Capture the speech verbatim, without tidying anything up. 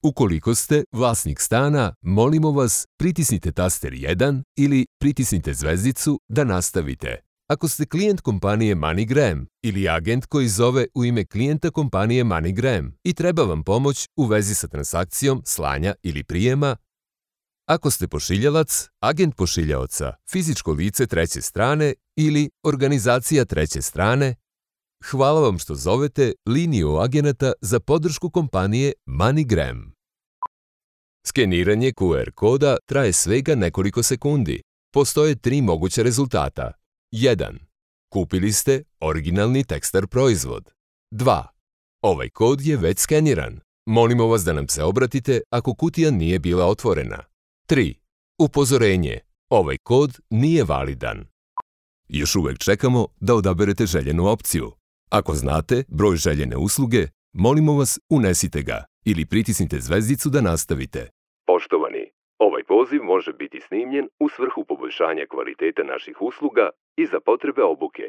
Ukoliko ste vlasnik stana, molimo vas pritisnite taster jedan ili pritisnite zvezdicu da nastavite. Ako ste klijent kompanije MoneyGram ili agent koji zove u ime klijenta kompanije MoneyGram i treba vam pomoć u vezi sa transakcijom slanja ili prijema, ako ste pošiljalac, agent pošiljaoca, fizičko lice treće strane ili organizacija treće strane, hvala vam što zovete liniju agenata za podršku kompanije MoneyGram. Skeniranje Q R koda traje svega nekoliko sekundi. Postoje tri moguća rezultata. jedan. Kupili ste originalni Techstar proizvod. dva. Ovaj kod je već skeniran. Molimo vas da nam se obratite ako kutija nije bila otvorena. tri. Upozorenje. Ovaj kod nije validan. Još uvek čekamo da odaberete željenu opciju. Ako znate broj željene usluge, molimo vas unesite ga ili pritisnite zvezdicu da nastavite. Poštovani, ovaj poziv može biti snimljen u svrhu poboljšanja kvaliteta naših usluga i za potrebe obuke.